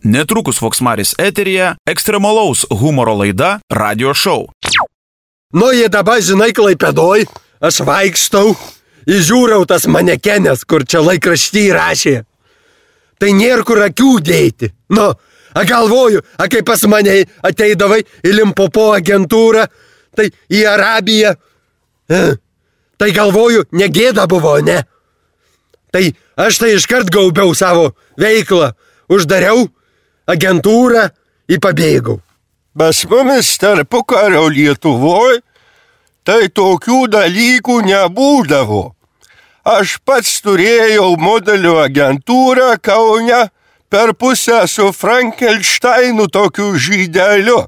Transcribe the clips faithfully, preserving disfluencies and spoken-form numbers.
Netrukus Voksmaris eteryje ekstremalaus humoro laida Radio Show. Nu, jie dabar, žinai, Klaipėdoj, aš vaikštau, įžiūriau tas manekenės, kur čia laikrašty rašė. Tai nėra kur akių dėti. Nu, a galvoju, a kai pas mane ateidavai į Limpopo agentūrą, tai į Arabiją. E, tai galvoju, negėda buvo, ne? Tai aš tai iškart gaubiau savo veiklą, uždariau agentūrą į pabėgau. Pas mumis tarpukario Lietuvoj tai tokių dalykų nebūdavo. Aš pats turėjau modelio agentūrą Kaune per pusę su Frankensteinu tokiu žydeliu.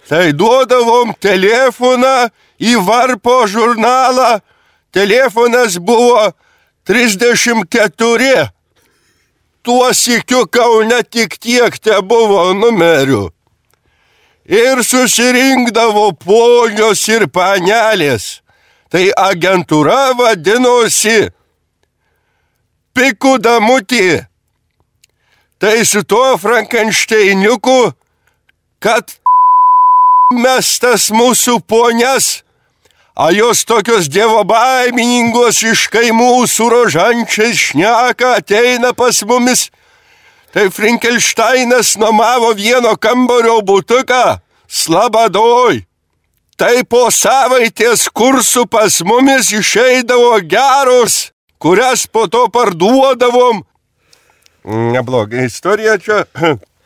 Tai duodavom telefoną į Varpo žurnalą. Telefonas buvo trisdešimt keturi. Tuo sykiu Kaune tik tiek te buvo numerių. Ir susirinkdavo ponios ir panelės. Tai agentūra vadinosi Pikų damutė. Tai su tuo Frankensteiniuku, kad mestas mūsų ponias, a jos tokios dievobaimininkos iš kaimų su rožančiais šneka, ateina pas mumis. Tai Frankensteinas nuomavo vieno kambario butuką Slabadoj. Tai po savaitės kursų pas mumis išeidavo geros, kurias po to parduodavom. Nebloga istorija čia.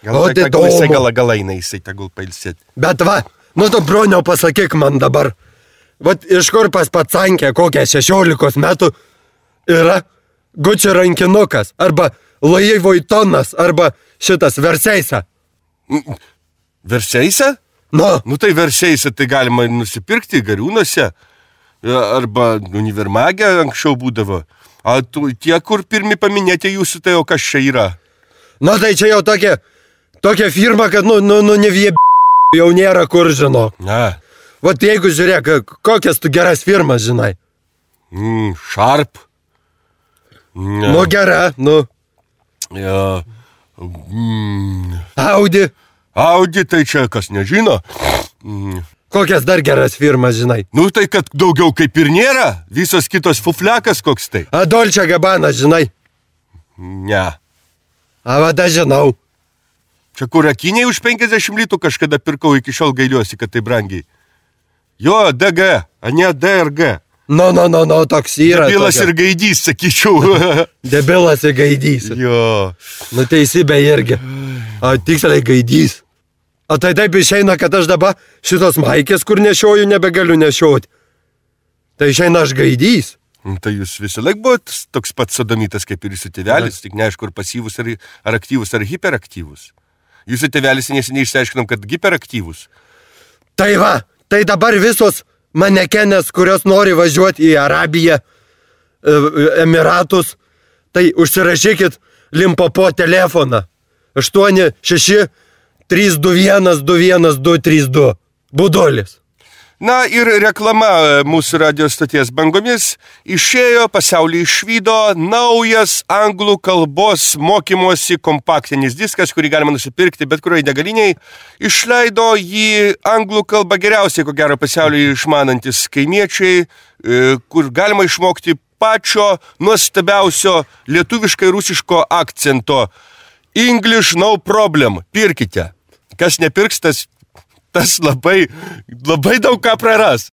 Gal O, tai tai tegul jisai įdomu. gal galaina, jisai tegul pailsėt. Bet va, nu tu, broniau, pasakyk man dabar. Vat iš kur pas pacankė kokią šešiolikos metų yra Gucci rankinukas, arba Louis Vuittonas, arba šitas Versace. Versace? Nu, Nu tai Versace tai galima nusipirkti Gariūnuose, arba Univermage anksčiau būdavo. A tu, tie, kur pirmi paminėti jūsų, tai o kas čia yra? nu tai čia jau tokia, tokia firma, kad nu, nu, nu nevieb... jau nėra kur, žinok. Na, Vat jeigu žiūrėk, kokias tu geras firmas, žinai. mm, Sharp. Na, Nu gera, nu, ja, mm, Audi. Audi, tai čia kas nežino. Mm, Kokias dar geras firmas, žinai. nu tai kad daugiau kaip ir nėra, visos kitos fuflekas koks tai. A Dolce Gabbana, žinai. Ne. A vada žinau. Čia kur akiniai už penkiasdešimt litų kažkada pirkau, iki šiol gailiuosi, kad tai brangiai. Jo, D G, a ne D R G. Nu, nu, nu, nu, toks yra. Bilas tokia. ir gaidys, sakyčiau. Debilas ir gaidys. Jo. Nu teisybė irgi. A tiksliai gaidys. O tai taip išeina, kad aš dabar šitos maikės, kur nešioju, nebegaliu nešioti. Tai išeina aš gaidys. Nu, tai jūs visą laik buvot toks pats sodomitas kaip ir jūsų tėvelis, tik neaišku, ar pasyvus, ar, ar aktyvus, ar hiperaktyvus. Jūsų tėvelis neseniai išsiaiškinom, kad hiperaktyvus. Tai va, tai dabar visos manekenės, kurios nori važiuoti į Arabiją, e, Emiratus, tai užsirašykit Limpopo telefoną. aštuoni šeši trys du vienas du vienas du trys du. Budulis. Na ir reklama mūsų radio stoties bangomis. Išėjo, pasaulį išvydo naujas anglų kalbos mokymosi kompaktinis diskas, kurį galima nusipirkti bet kurioje degaliniai. Išleido jį anglų kalbą geriausiai, ko gero pasaulyje išmanantis kaimiečiai, kur galima išmokti pačio nuostabiausio lietuviškai rusiško akcento. English no problem. Pirkite. Kas nepirks, tas, tas labai, labai daug ką praras.